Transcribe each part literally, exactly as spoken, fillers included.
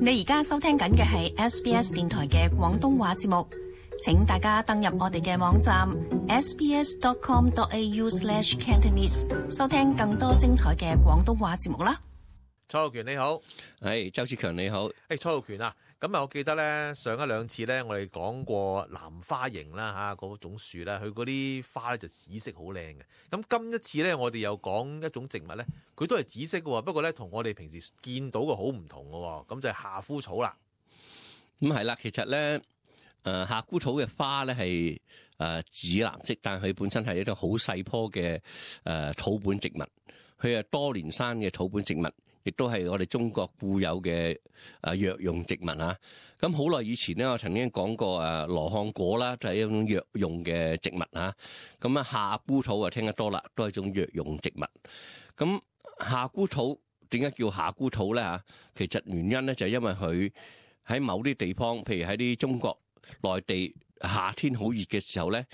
你而家收聽緊嘅係 S B S 電台嘅廣東話節目，請大家登入我哋嘅網站 s b s dot com dot a u slash cantonese 收聽更多精彩嘅廣東話節目啦。蔡浩權你好，係周志強你好。誒，蔡浩權啊，咁啊，我記得咧上一兩次咧，我哋講過藍花楹啦嚇，嗰種樹咧，佢嗰啲花咧就紫色好靚嘅。咁今一次咧，我哋又講一種植物咧，佢都係紫色嘅喎，不過咧同我哋平時見到嘅好唔同嘅喎，咁就係夏枯草啦。咁係啦，其實咧，誒夏枯草嘅花咧係誒紫藍色，但係佢本身係一種好細棵嘅誒草本植物，佢係多年生嘅草本植物。亦都係我哋中國固有嘅誒藥用植物啊！咁好耐以前咧，我曾經講過誒羅漢果啦，就係一種藥用嘅植物啊！咁啊夏枯草啊聽得多啦，都係一種藥用植物。咁夏枯草點解叫夏枯草咧嚇？其實原因咧就係因為佢喺某啲地方，譬如喺啲中國內地夏天好熱嘅時候咧，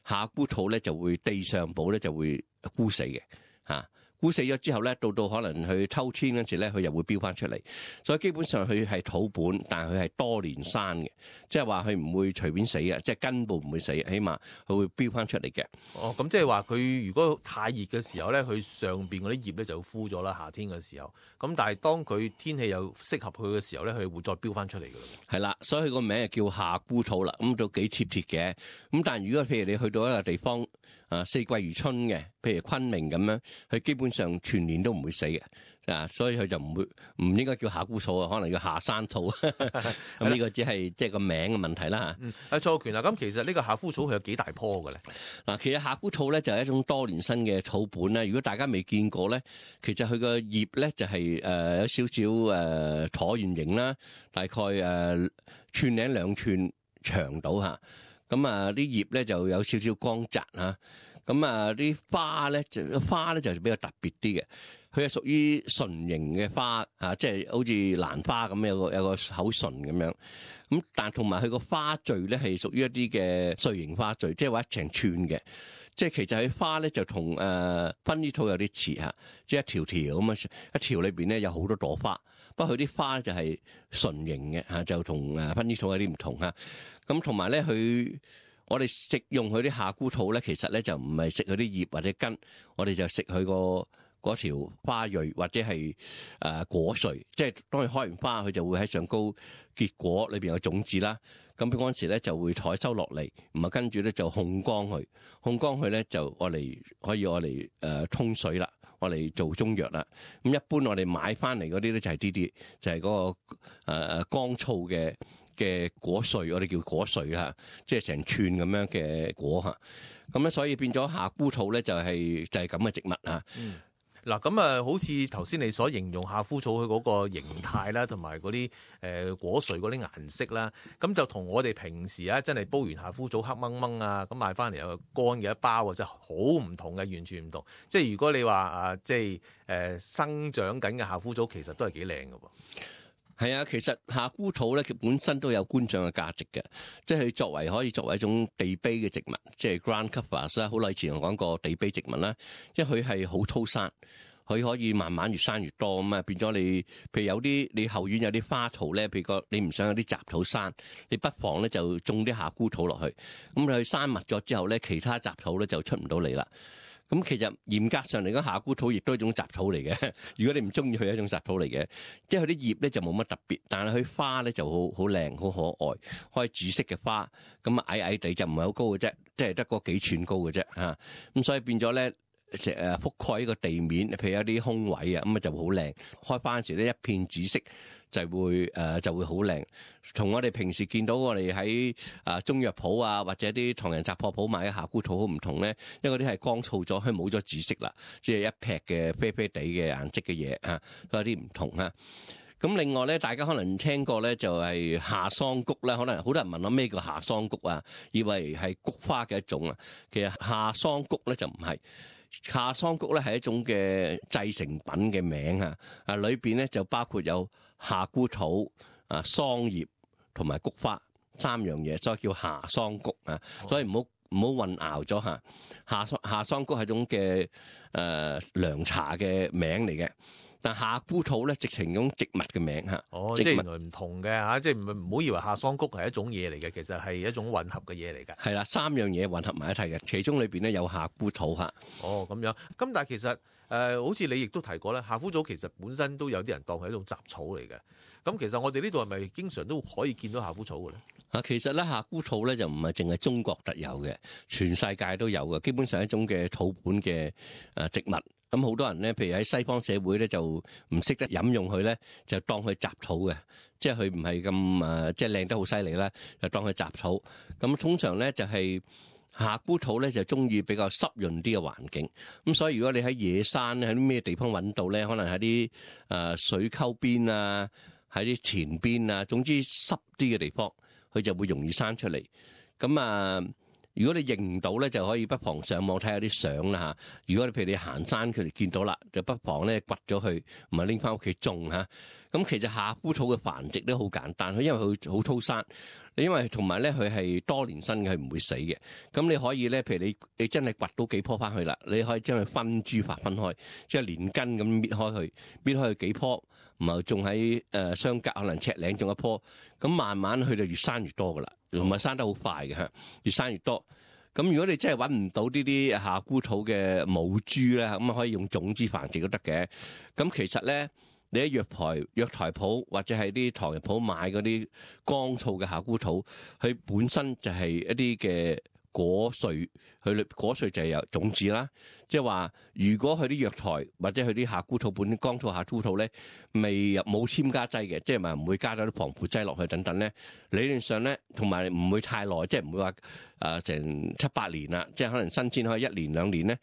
夏枯草咧就會地上部咧就會枯死嘅嚇。枯死咗之後咧，到到可能去秋天嗰時咧，佢又會飆翻出嚟。所以基本上佢係土本，但係佢係多年生嘅，即係話佢唔會隨便死嘅，即係根部唔會死，起碼佢會飆翻出嚟嘅。哦，咁即係話佢如果太熱嘅時候咧，佢上邊嗰啲葉咧就枯咗啦。夏天嘅時候，咁但係當佢天氣又適合佢嘅時候咧，佢會再飆翻出嚟㗎啦。係啦，所以佢個名就叫夏枯草啦。咁都幾貼切嘅。咁但係如果譬如你去到一個地方，啊四季如春嘅，譬如昆明咁樣，佢基本上全年都唔會死嘅，啊，所以佢就唔會唔應該叫夏枯草啊，可能叫夏山草。咁呢個只係即係個名嘅問題啦。嗯，阿蔡浩權啊，咁其實呢個夏枯草佢有幾大棵嘅咧？嗱，其實夏枯草咧就係一種多年生嘅草本啦。如果大家未見過咧，其實佢個葉咧就係誒有少少誒橢圓形啦，大概誒寸零兩寸長度嚇。咁啊啲葉咧就有少少光澤嚇。咁啊啲花咧就花咧就比較特別啲嘅，佢係屬於唇形嘅花啊，即係好似蘭花咁有個有個口唇咁樣。咁但同埋佢個花序咧係屬於一啲嘅穗形花序，即係話一長串嘅。即係其實佢花咧就同誒薰衣草有啲似嚇，即係一條條咁啊，一條裏邊咧有好多朵花。不過佢啲花咧就係唇形嘅嚇，就同誒薰衣草有啲唔同嚇。咁同埋咧佢。我哋食用佢啲夏枯草咧，其實咧就唔係食佢啲葉或者根，我哋就食佢個嗰條花蕊或者係誒果穗，即係當佢開完花，佢就會喺上高結果，裏邊有種子啦。咁嗰陣時咧就會採收落嚟，唔係跟住咧就烘乾佢，烘乾佢咧就我嚟可以我嚟誒沖水啦，我嚟做中藥啦。咁一般我哋買翻嚟嗰啲咧就係呢啲，就係、是、嗰、那個誒誒、呃、乾燥嘅。嘅果穗，我哋叫果穗啦，即係成串咁樣嘅果嚇。咁咧，所以變咗夏枯草咧，就係就係咁嘅植物啊。嗯，嗱咁啊，好似頭先你所形容夏枯草佢嗰個形態啦，同埋嗰啲誒果穗嗰啲顏色啦，咁就同我哋平時啊，真係煲完夏枯草黑掹掹啊，咁買翻嚟有乾嘅一包啊，真係好唔同嘅，完全唔同。即係如果你話啊，即係誒、呃、生長緊嘅夏枯草，其實都係幾靚㗎喎。係啊，其實夏枯草咧，佢本身都有觀賞嘅價值嘅，即係佢作為可以作為一種地碑嘅植物，即係 ground covers 啦。好耐以前我講過地碑植物啦，因為佢係好粗生，佢可以慢慢越生越多咁啊，變咗你，譬如有啲你後院有啲花槽咧，譬如個你唔想有啲雜草生，你不妨咧就種啲夏枯草落去，咁佢生密咗之後咧，其他雜草咧就出唔到嚟啦。咁其實嚴格上嚟講，夏枯草亦都係一種雜草嚟嘅。如果你唔中意佢，係一種雜草嚟嘅，即係佢啲葉咧就冇乜特別，但係佢花咧就好好靚、好可愛，開紫色嘅花，咁矮矮地就唔係好高嘅啫，即係得個幾寸高嘅啫嚇。咁所以變咗咧，成誒覆蓋呢個地面，譬如有啲空位啊，咁啊就會好靚。開花嗰時咧，一片紫色。就會誒、呃、就會好靚，同我哋平時見到我哋喺啊中藥鋪啊或者啲唐人雜貨鋪買嘅夏枯草好唔同咧，因為嗰啲係乾燥咗，佢冇咗紫色啦，即係一撇嘅啡啡地嘅顏色嘅嘢啊，都有啲唔同啊。咁另外咧，大家可能聽過咧，就係夏桑菊啦。可能好多人問我咩叫夏桑菊啊，以為係菊花嘅一種啊。其實夏桑菊咧就唔係。夏桑菊咧係一種嘅製成品嘅名啊，啊裏邊咧就包括有夏枯草、啊桑葉同埋菊花三樣嘢，所以叫夏桑菊啊。所以唔好唔好混淆咗嚇。夏桑夏桑菊係一種嘅誒涼茶嘅名嚟嘅。但夏枯草咧，直情用植物嘅名嚇。哦，植物即係原來唔同嘅嚇，即係唔唔好以為夏桑菊係一種嘢嚟嘅，其實係一種混合嘅嘢嚟㗎。係啦，三樣嘢混合埋一齊嘅，其中裏邊咧有夏枯草嚇。哦，咁樣。咁但係其實誒、呃，好似你亦都提過咧，夏枯草其實本身都有啲人當係一種雜草嚟嘅。咁其實我哋呢度係咪經常都可以見到夏枯草嘅咧？啊，其實咧夏枯草咧就唔係淨係中國特有嘅，全世界都有嘅。基本上係一種嘅草本嘅誒植物。咁好多人咧，譬如喺西方社會咧，就唔識得飲用佢咧，就當佢雜草嘅，即係佢唔係咁誒，即係靚得好犀利啦，就當佢雜草。咁通常咧就係夏枯草咧就中意比較濕潤啲嘅環境。咁所以如果你喺野山喺啲咩地方揾到咧，可能喺啲誒水溝邊啊，喺啲田邊啊，總之濕啲嘅地方，佢就會容易生出嚟。咁啊〜如果你認唔到咧，就可以不妨上網睇下啲相啦嚇。如果你譬如你行山，佢哋見到啦，就不妨咧掘咗佢，唔係拎翻屋企種嚇。咁其實夏枯草嘅繁殖都好簡單，佢因為佢好粗生，因為同埋咧佢係多年生嘅，係唔會死嘅。咁你可以咧，譬如你你真係掘到幾棵翻去啦，你可以將佢分株法分開，即係連根咁搣開佢，搣開佢幾棵，然後仲喺誒相隔可能尺零種一棵，咁慢慢佢就越生越多噶啦。同埋生得好快嘅嚇，越生越多。咁如果你真係揾唔到呢啲夏枯草嘅母株咧，咁啊可以用種子繁殖都得嘅。咁其實咧，你喺藥台、藥材鋪或者係啲唐人鋪買嗰啲乾燥嘅夏枯草，佢本身就係一啲嘅果穗，佢果穗就係有種子啦。即係話，如果佢啲藥材或者佢啲夏枯草本身乾燥夏枯草咧，未入冇添加劑嘅，即係咪唔會加咗啲防腐劑落去等等咧？理論上咧，同埋唔會太耐，即係唔會話誒成七八年啦，即係可能新鮮可以一年兩年咧。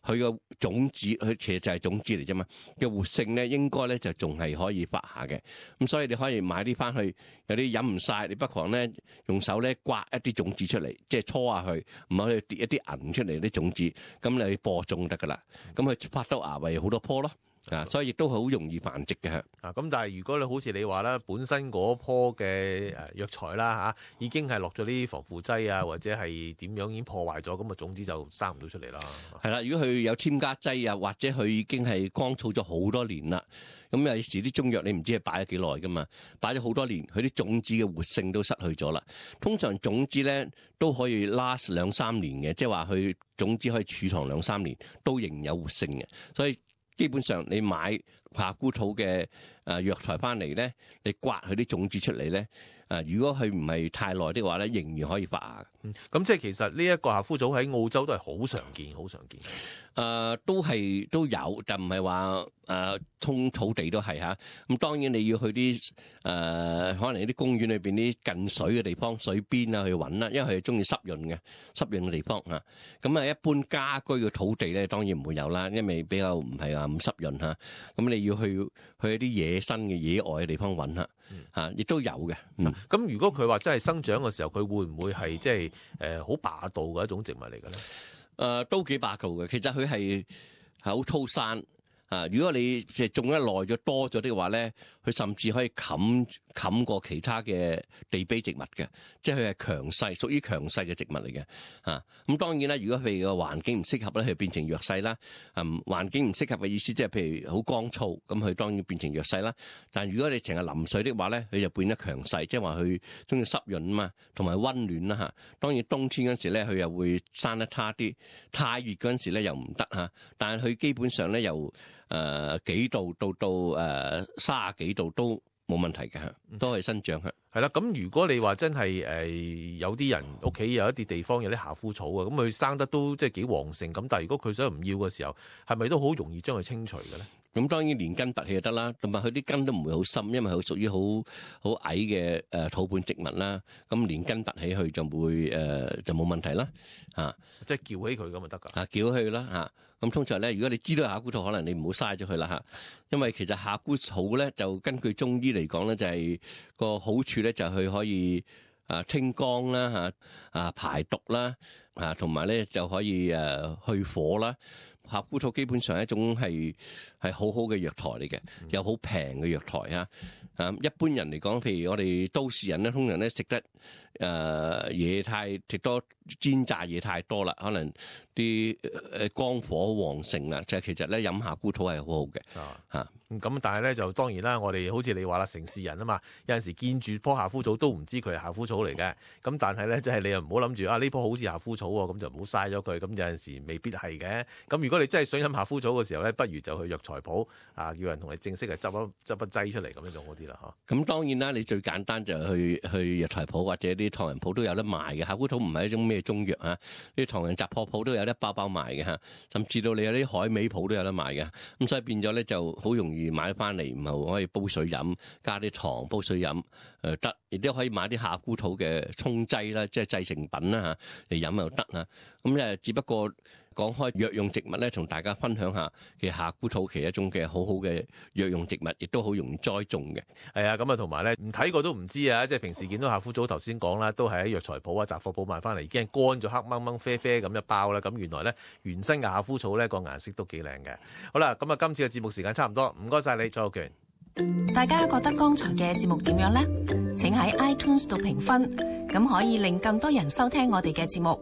佢個種子，佢其實就係種子嚟啫嘛。嘅活性咧，應該咧就仲係可以發下嘅。咁所以你可以買啲翻去，有啲飲唔晒，你不妨咧用手咧刮一啲種子出嚟，即係搓下佢，唔好去跌一啲銀出嚟啲種子，咁你播種得噶啦。咁佢發到芽為好多棵咯。啊，所以亦都好容易繁殖嘅。啊，咁但係如果你好似你話啦，本身嗰棵嘅誒藥材啦嚇，已經係落咗啲防腐劑啊，或者係點樣已經破壞咗，咁啊種子就生唔到出嚟啦。係啦，如果佢有添加劑啊，或者佢已經係乾燥咗好多年啦，咁有時啲中藥你唔知係擺咗幾耐噶嘛，擺咗好多年，佢啲種子嘅活性都失去咗啦。通常種子咧都可以 last 兩三年嘅，即係話佢種子可以儲藏兩三年，都仍有活性嘅，所以。基本上你買夏枯草嘅誒藥材翻嚟咧，你刮佢啲種子出嚟咧，誒如果佢唔係太耐的話咧，仍然可以發芽。嗯，咁即係其實呢一個夏枯草喺澳洲都係好常見，好常見。誒、呃，都係都有，就唔係話誒通草地都係嚇。咁當然你要去啲誒、呃，可能啲公園裏邊啲近水嘅地方、水邊啊去揾啦，因為佢係中意濕潤嘅濕潤嘅地方嚇。咁啊，一般家居嘅土地咧，當然唔會有啦，因為比較唔係話咁濕潤嚇。咁你要去去一啲野生嘅野外嘅地方揾嚇嚇，亦都有嘅。咁、嗯嗯、如果佢話真係生長嘅時候，佢會唔會係即係誒好霸道嘅一種植物嚟嘅咧？誒、呃、都幾霸道嘅，其實佢係係好粗生啊！如果你即係種得耐咗多咗啲嘅話咧，佢甚至可以冚冚過其他嘅地卑植物嘅，即係佢係強勢，屬於強勢嘅植物嚟嘅啊！咁當然啦，如果譬如個環境唔適合咧，佢變成弱勢啦。嗯，環境唔適合嘅意思即係譬如好乾燥，咁佢當然變成弱勢啦。但係如果你成日淋水的話咧，佢就變得強勢，即係話佢中意濕潤啊嘛，同埋溫暖啦嚇。當然冬天嗰時咧，佢又會生得差啲，太熱嗰陣時咧又唔得嚇。但係佢基本上咧由誒、呃、幾度到到誒三十幾度都冇問題嘅嚇，都係生長嚇。係啦，咁如果你話真係誒、呃、有啲人屋企有一啲地方有啲夏枯草啊，咁佢生得都即係幾旺盛咁，但係如果佢想唔要嘅時候，係咪都好容易將佢清除嘅咧？咁當然連根拔起就得啦，同埋佢啲根都唔會好深，因為佢屬於好好矮嘅誒土本植物啦。咁連根拔起去就會誒、呃、就冇問題啦嚇，即係撬起佢咁就得㗎。啊，撬起啦嚇。咁通常咧，如果你知道夏枯草，可能你唔好嘥咗佢啦嚇，因為其實夏枯草咧就根據中醫嚟講咧，就係、是、個好處咧就係佢可以啊清肝啦嚇，啊排毒啦啊，同埋咧就可以誒去火啦。夏枯草基本上係一種係係好好嘅藥材嚟嘅，又好平嘅藥材嚇。啊，一般人嚟講，譬如我哋都市人咧，通常咧食得誒嘢太食多煎炸嘢太多啦，可能啲誒肝火旺盛啦，就係其實咧飲夏枯草係好好嘅嚇。咁但係咧就當然啦，我哋好似你話啦，城市人啊嘛，有陣時見住棵夏枯草都唔知佢係夏枯草嚟嘅。咁但係咧，即係你又唔好諗住啊呢棵好似夏枯草喎，咁就唔好嘥咗佢。咁有陣時未必係嘅。咁如果你真係想飲夏枯草嘅時候咧，不如就去藥材鋪啊，叫人同你正式係執一執一劑出嚟咁樣就好啲啦嚇。咁當然啦，你最簡單就去去藥材鋪或者啲唐人鋪都有得賣嘅。夏枯草唔係一種咩中藥啊，啲唐人雜貨鋪都有得包包賣嘅嚇，甚至到你有啲海味鋪都有得賣嘅。咁所以變咗咧就好容易買翻嚟。然後可以煲水飲，加啲糖煲水飲，誒得，亦都可以買啲夏枯草嘅沖劑啦，即係製成品啦嚇嚟飲又得嚇。咁誒，只不過講開藥用植物咧，同大家分享下嘅夏枯草其實一種嘅好好嘅藥用植物，亦都好容易栽種嘅。係啊，咁啊同埋咧，唔睇過都唔知啊！即係平時見到夏枯草，頭先講啦，都係喺藥材鋪啊、雜貨鋪買翻嚟，已經係乾咗黑掹掹啡啡咁一包啦。咁原來咧原生嘅夏枯草咧個顏色都幾靚嘅。好啦，咁啊今次嘅節目時間差唔多，唔該晒你，蔡浩權。大家覺得剛才嘅節目點樣呢？請喺 iTunes 度評分，咁可以令更多人收聽我哋嘅節目。